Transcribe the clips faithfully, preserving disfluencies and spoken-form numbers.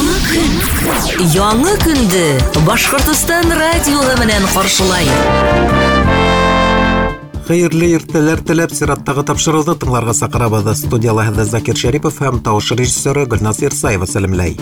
Яңы көн. Яңы көндө Башҡортостан радиоһы менән ҡаршылай. Хәйерле иртәләр теләп сираттағы тапшырыуҙы тыңларға саҡырабыҙ. Студияла һеҙҙе Закир Шәрипов һәм тауыш режиссеры Гөлназ Ирсаева сәләмләй.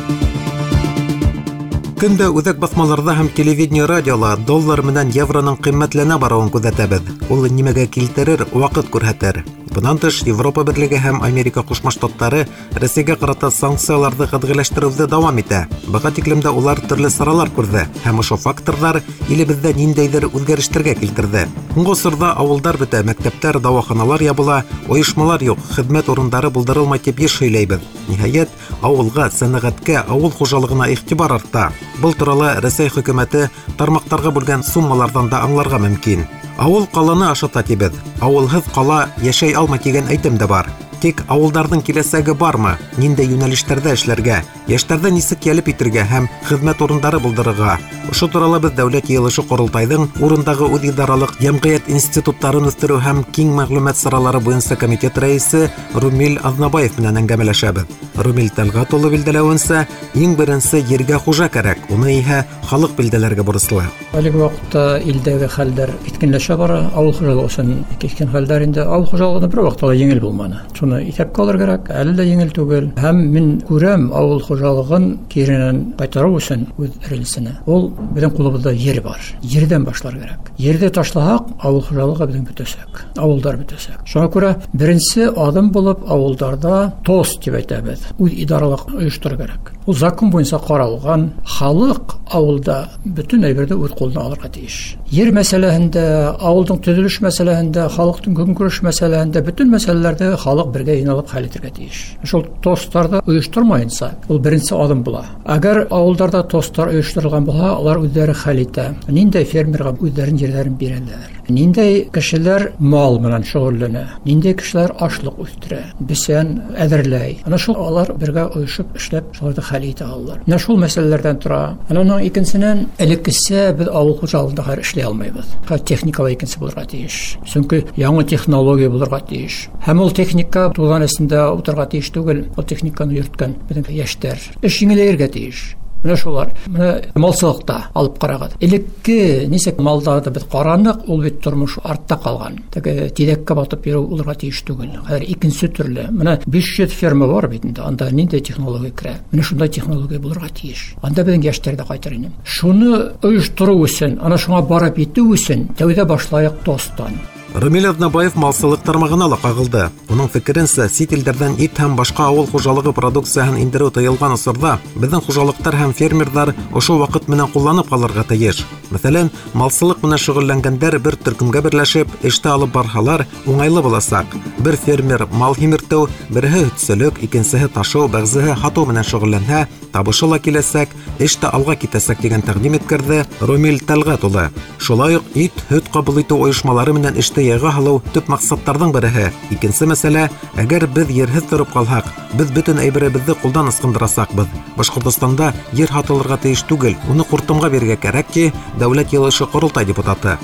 Көндә үҙәк баҫмаларҙа һәм телевидение радиола доллар менән евроның ҡиммәтләнә барыуын күҙәтәбеҙ. Ул нимәгә килтерер, ваҡыт күрһәтер. Бынан тыш, Европа Берлеге һәм Америка Ҡушма Штаттары Рәсәйгә ҡарата санкцияларҙы ҡәтғиләштереүҙе дауам итә. Быға тиклем дә улар төрлө саралар күрҙе һәм ошо факторҙар илебеҙҙә ниндәйҙер үҙгәрештәргә килтерҙе. Һуңғы осорҙа ауылдар бөтә, мәктәптәр, дауаханалар ябыла, ойошмалар юҡ, хеҙмәт урындары булдырылмай тип йыш һөйләйбеҙ. Ниһайәт, ауылға, сәнәғәткә, ауыл хужалығына иғтибар арта. Был турала Рәсәй хөкүмәте тармаҡтарға бүлгән суммаларҙан да аңларға мөмкин. Ауыл ҡаланы ашата тибеҙ. Ауылһыҙ ҡала йәшәй алмай тигән әйтем дә бар. Тик ауылдарҙың киләсәге бармы? Ниндәй йүнәлештәрҙә эшләргә? Йәштәрҙе нисек йәлеп итергә һәм хеҙмәт урындары булдырырға? Ошо турала беҙ Дәүләт Йыйылышы Ҡоролтайҙың урындағы үҙидаралыҡ йәмғиәт институттарын үҫтереү һәм киң мәғлүмәт саралары буйынса комитет рәйесе Румил Аҙнабаев менән әңгәмәләшәбеҙ. Румил Тәлғәт улы билдәләүенсә, иң беренсе ергә хужа кәрәк, уны иһә халыҡ билдәләргә бурыслы. Әлеге ваҡытта илдәге хәлдәр киҫкенләшә бара, ауыл хужалығы өсөн киҫкен хәлдәр инде. Ауыл хужалығында бер ваҡытта ла еңел булманы. Шуны иҫәпкә алыр кәрәк, әле лә еңел түгел. Һәм мин күрәм ауыл хужалығын киренән ҡайтарыу өсөн үҙ рельсенә. Ул беҙҙең ҡулыбыҙҙа ер бар. Ерҙән башлар кәрәк. Ерҙе ташлаһаҡ, ауыл хужалығы беҙҙең бөтәсәк. Ауылдар бөтәсәк. Шуңа күрә беренсе аҙым булып ауылдарҙа ТОС тип әйтәбеҙ. Үҙ идаралыҡ ойоштороу кәрәк. Ул закон буйынса ҡаралған халыҡ ауылда бөтөн әйберҙе үҙ ҡулына алырға тейеш. Ер мәсьәләһендә, ауылдың төҙөлөш мәсьәләһендә, халыҡтың көнкүреш мәсьәләһендә бөтөн мәсьәләләрҙе халыҡ бергә йыйналып хәл итергә тейеш. Шул ТОСтарҙы ойоштормайынса, ул беренсе аҙым була. Әгәр ауылдарҙа ТОСтар ойошторолған булһа, улар үҙҙәре хәл итә. Ниндәй фермерға үҙҙәренең ерҙәрен бирәләр. Ниндәй кешеләр мал менән шөғөлләнә, ниндәй кешеләр ашлыҡ үҫтерә, бесән әҙерләй. Ана шул алар бергә ойошоп эшләп, шуларҙы хәл итә алалар. Менә шул мәсьәләләрҙән тора. Ана уның икенсенән, элеккесә беҙ ауыл хужалығында хәҙер эшләй алмайбыҙ. Хәҙер техникала икенсе булырға тейеш. Сөнки яңы технология булырға тейеш. Һәм ул техника туҙан эсендә ултырырға тейеш түгел, ул техниканы йөрөткән беҙҙең йәштәр. Эш еңеләйергә тейеш. Менә шулар. Менә малсылыҡта алып ҡарағыҙ. Элекке нисек малдарҙы беҙ ҡараныҡ, ул бит тормош артта ҡалған. Теге тиҙәккә батып йөрөү уларға тейеш түгел. Хәҙер икенсе төрлө. Менә биш йөҙ ферма бар бит инде. Анда ниндәй технология керә? Менә шундай технология булырға тейеш. Анда беҙҙең йәштәр ҙә ҡайтыр ине. Шуны ойоштороу өсөн, ана шуңа барып етеү өсөн тәүҙә башлайыҡ ТОСтан. Румил Аҙнабаев малсылыҡ тармағына ла ҡағылды. Уның фекеренсә, сит илдәрҙән ит һәм башҡа ауыл хужалығы продукцияһын индереү тыйылған осорҙа беҙҙең хужалыҡтар һәм фермерҙар ошо ваҡыт менән ҡулланып ҡалырға тейеш. Мәҫәлән, малсылыҡ менән шөғөлләнгәндәр бер төркөмгә берләшеп, эште алып барһалар, уңайлы буласаҡ. Бер фермер мал һимертеү, береһе һөтсөлөк, икенсеһе ташыу, бәғзеһе һатыу менән шөғөлләнһә, табышы ла киләсәк, эш тә алға китәсәк тигән тәҡдим иткерҙе Румил Тәлғәт улы. Шулай уҡ ит, һөт ҡабул итеү ойошмалары менән эште яйға һалыу төп маҡсаттарҙың береһе. Икенсе мәсьәлә, әгәр беҙ ерһеҙ тороп ҡалһаҡ, беҙ бөтөн әйберебеҙҙе ҡулдан ысҡындырасаҡбыҙ. Башҡортостанда ер һатылырға тейеш түгел, уны ҡуртымға бирергә кәрәк, ти Дәүләт Йыйылышы Ҡоролтай депутаты.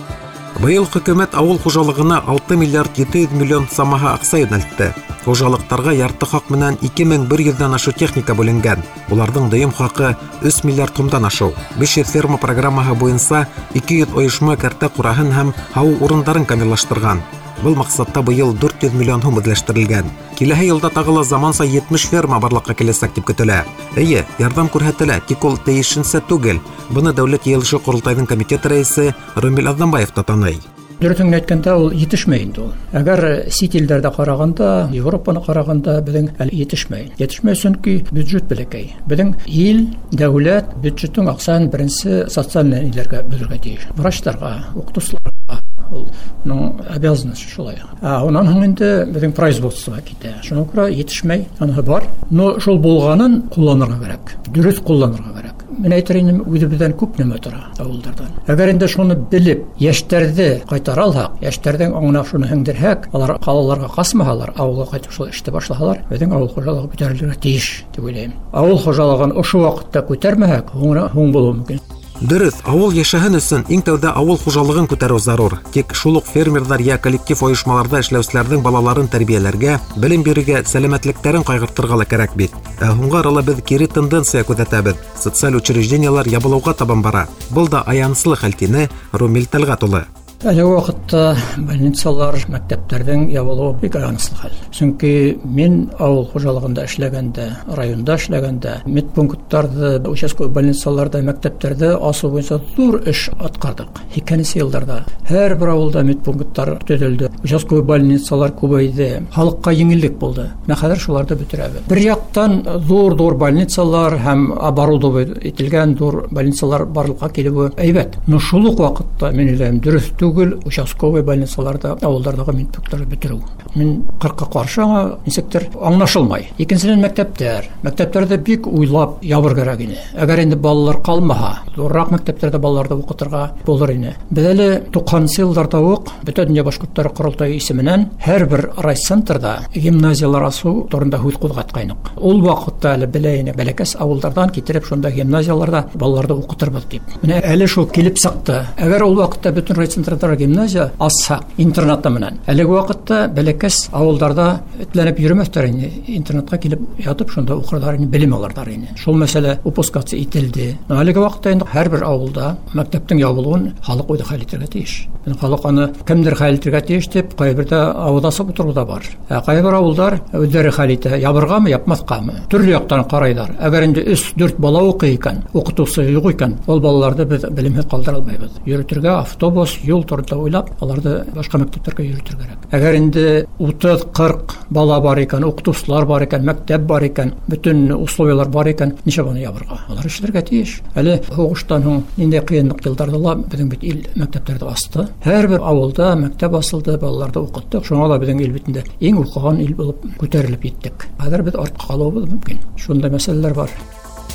Быйыл хөкүмәт ауыл хужалығына алты миллиард ете йөҙ миллион самаһы аҡса йүнәлтте. Хужалыҡтарға ярты хаҡ менән ике мең бер йөҙҙән ашыу техника бүленгән. Уларҙың дөйөм хаҡы өс миллиард һумдан ашыу. Биш йөҙ ферма программаһы буйынса ике йөҙ ойошма кәртә ҡураһын һәм һауыу урындарын камиллаштырған. Был маҡсатта быйыл дүрт йөҙ миллион һум үҙләштерелгән. Киләһе йылда тағы ла заманса етмеш ферма барлыҡҡа киләсәк тип көтөлә. Эйе, ярҙам күрһәтелә, тик ул тейешенсә түгел. Быны Дәүләт Йыйылышы Ҡоролтайҙың комитет рәйесе Румил Аҙнабаев та таный. Дөрөҫөн генә әйткәндә, ул етешмәй инде ул. Әгәр сит илдәрҙә ҡарағанда, Европаны ҡарағанда беҙҙең әле етешмәй. Етешмәй, сөнки бюджет бәләкәй. Беҙҙең ил, дәүләт бюджеттың аҡсаһын беренсе социаль ниләргә бүлергә тейеш. Врачтарға, уҡытыусыларға, ул уның обязанность шулай. Ә унан һуң инде беҙҙең производство китә. Шуңа күрә етешмәй, аныһы бар. Но шул булғанын ҡулланырға кәрәк. Дөрөҫ ҡулланырға кәрәк. Мин әйтер инем, үҙебеҙҙән күп нәмә тора ауылдарҙан. Әгәр инде шуны белеп, йәштәрҙе ҡайтара алһаҡ, йәштәрҙең аңына шуны һеңдерһәк, алар ҡалаларға ҡасмаһалар, ауылға ҡайтып шул эште башлаһалар, беҙҙең ауыл хужалығы күтәрелергә тейеш тип уйлайым. Ауыл хужалығын ошо ваҡытта күтәрмәһәк, һуңра һуң булыуы мөмкин. Дөрөҫ, ауыл йәшәһен өсөн иң тәүҙә ауыл хужалығын күтәреү зарур. Тик шул уҡ фермерҙар йә коллектив ойошмаларҙа эшләүселәрҙең балаларын тәрбиәләргә, белем бирергә, сәләмәтлектәрен ҡайғыртырға ла кәрәк бит. Ә һуңғы арала беҙ кире тенденция күҙәтәбеҙ. Социаль учреждениелар ябылыуға табан бара. Был да аяныслы хәл, тине Румил Тәлғәт улы. Әлеге ваҡытта больницалар, мәктәптәрҙең ябылыуы бик аяныслы хәл. Сөнки мин ауыл хужалығында эшләгәндә, районда эшләгәндә, медпункттарҙы, участковый больницаларҙа, мәктәптәрҙе асыу буйынса ҙур эш атҡарҙыҡ. Һикһәненсе йылдарҙа һәр бер ауылда медпункттар төҙөлдө, участковый больницалар күбәйҙе, халыҡҡа еңеллек булды. Менә хәҙер шуларҙы бөтөрәбеҙ. Бер яҡтан ҙур-ҙур больницалар һәм оборудовать ителгән ҙур больницалар барлыҡҡа килеүе әйбәт. Но шул уҡ ваҡытта мин уйлайым, дөрөҫ түгел участковый больницаларда, ауылдарҙағы медпункттарҙы бөтөрөү. Мин ҡырҡа ҡаршы аңа нисектер аңлашылмай. Икенсенән, мәктәптәр. Мәктәптәрҙе бик уйлап ябыр кәрәк ине. Әгәр инде балалар ҡалмаһа, ҙурыраҡ мәктәптәрҙә балаларҙы уҡытырға булыр ине. Беҙ әле туҡһанынсы йылдарҙа уҡ Бөтә донъя башҡорттары ҡоролтайы исеменән һәр бер райцентрҙа гимназиялар асыу турында һүҙ ҡуҙғатҡайныҡ. Ул ваҡытта әле белә ине, бәләкәс ауылдарҙан китереп шунда гимназияларҙа балаларҙы уҡытырбыҙ тип. Менә әле шул килеп сыҡты. Әгәр ул ваҡытта бөтөн райцентрҙа гимназия асһаҡ, интернатта менән. Әлеге ваҡытта бәләкәс ауылдарҙа этләнеп йөрөмәҫтәр ине, интернатҡа килеп ятып шунда уҡырҙар ине, белем алырҙар ине. Шул мәсьәлә упускаться ителде. Әлеге ваҡытта инде һәр бер ауылда мәктәптең ябылыуын халыҡ үҙе хәл итергә тейеш. Халыҡ аны кемдер хәл итергә тейеш тип ҡайберҙә ауыҙ асып ултырыу ҙа бар. Ә ҡайбер ауылдар үҙҙәре хәл итә, ябырғамы, япмаҫҡамы? Төрлө яҡтан ҡарайҙар. Әгәр инде өс-дүрт бала уҡый икән, уҡытыусы юҡ икән, ул балаларҙы беҙ белемһеҙ ҡалдыра алмайбыҙ. Йөрөтөргә автобус, юл турында уйлап, аларҙы башҡа мәктәптәргә йөрөтөр кәрәк. Әгәр инде утыҙ-ҡырҡ бала бар икән, уҡытыусылар бар икән, мәктәп бар икән, бөтөн условиялар бар икән, нисек уны ябырға? Алар эшләргә тейеш. Әле һуғыштан һуң ниндәй ҡыйынлыҡ йылдарҙа ла беҙҙең бит ил мәктәптәрҙе асты. Һәр бер ауылда мәктәп асылды, балаларҙы уҡыттыҡ. Шуңа ла беҙҙең ил бит инде иң уҡыған ил булып күтәрелеп еттек. Хәҙер беҙ артҡа ҡалыуыбыҙ мөмкин. Шундай мәсьәләләр бар.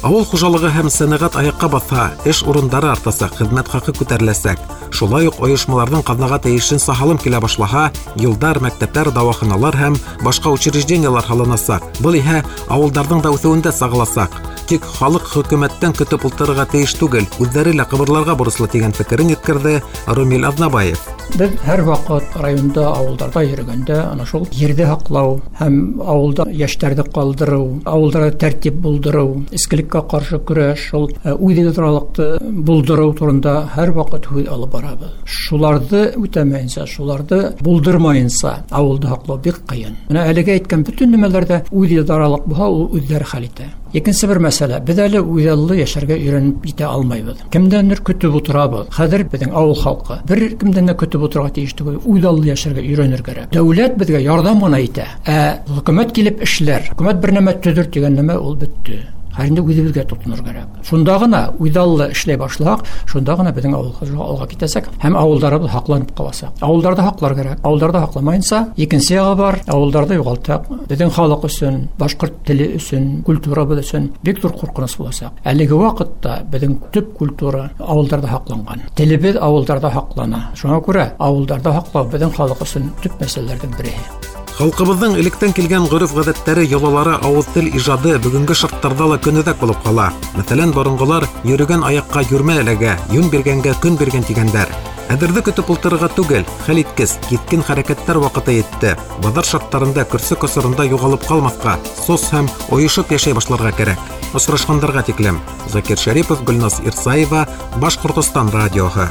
Ауыл хужалығы һәм сәнәғәт аяҡҡа баҫһа, эш урындары артасаҡ, хеҙмәт хаҡы күтәреләсәк. Шулай уҡ ойошмаларҙың ҡаҙнаға тейешенсә һалым килә башлаһа, юлдар, мәктәптәр, дауаханалар һәм башҡа учреждениелар һалынасаҡ. Был иһә ауылдарҙың да үҫеүендә сағыласаҡ. Тик халыҡ хөкүмәттән көтөп ултырырға тейеш түгел, үҙҙәре лә ҡыбырларға бурыслы тигән фекерен еткерҙе Румил Аҙнабаев. Беҙ һәр ваҡыт районда, ауылдарҙа йөрөгәндә ана шул ерҙе һаҡлау һәм ауылда йәштәрҙе ҡалдырыу, ауылдарҙа тәртип булдырыу, эскелеккә ҡаршы көрәш, шул үҙидаралыҡты булдырыу турында һәр ваҡыт һүҙ алып барабыҙ. Шуларҙы үтәмәйенсә, шуларҙы булдырмайынса ауылды һаҡлау бик ҡыйын. Менә әлеге әйткән бөтөн нәмәләрҙә үҙидаралыҡ булһа, ул үҙҙәре хәл итә. Икенсе бер мәсьәлә, беҙ әле үҙаллы йәшәргә өйрәнеп етә алмайбыҙ. Кемдәндер көтөп ултырабыҙ. Хәҙер беҙҙең ауыл халҡы бер кемдән дә көтөп ултырырға тейеш түгел, үҙаллы йәшәргә өйрәнер кәрәк. Дәүләт беҙгә ярҙам ғына итә. Ә хөкүмәт килеп эшләр, хөкүмәт бер нәмә төҙөр тигән нәмә ул бөттө. Хәҙер инде үҙебеҙгә тотонор кәрәк. Шунда ғына үҙаллы эшләй башлаһаҡ, шунда ғына беҙҙең ауыл хужалығы алға китәсәк һәм ауылдарыбыҙ һаҡланып ҡаласаҡ. Ауылдарҙы һаҡлар кәрәк. Ауылдарҙы һаҡламайынса, икенсе яғы бар, ауылдарҙы юғалтаҡ. Беҙҙең халыҡ өсөн, башҡорт теле өсөн, культурабыҙ өсөн бик ҙур ҡурҡыныс буласаҡ. Әлеге ваҡытта беҙҙең төп культура ауылдарҙа һаҡланған. Телебеҙ ауылдарҙа һаҡлана. Шуңа күрә ауылдарҙа һаҡлау беҙҙең халыҡ өсөн төп мәсьәләләрҙең береһе. Халҡыбыҙҙың электән килгән ғөрөф-ғәҙәттәре, йолалары, ауыҙ тел ижады бөгөнгө шарттарҙа ла көнүҙәк булып ҡала. Мәҫәлән, боронғолар йөрөгән аяҡҡа йүрмә эләгә, йүн биргәнгә көн биргән тигәндәр. Әҙерҙе көтөп ултырырға түгел, хәл иткес, киҫкен хәрәкәттәр ваҡыты етте. Баҙар шарттарында көрсөк осоронда юғалып ҡалмаҫҡа, сос һәм ойошоп йәшәй башларға кәрәк. Осрашҡандарға тиклем. Закир Шәрипов, Гөлназ Ирсаева, Башҡортостан радиоһы.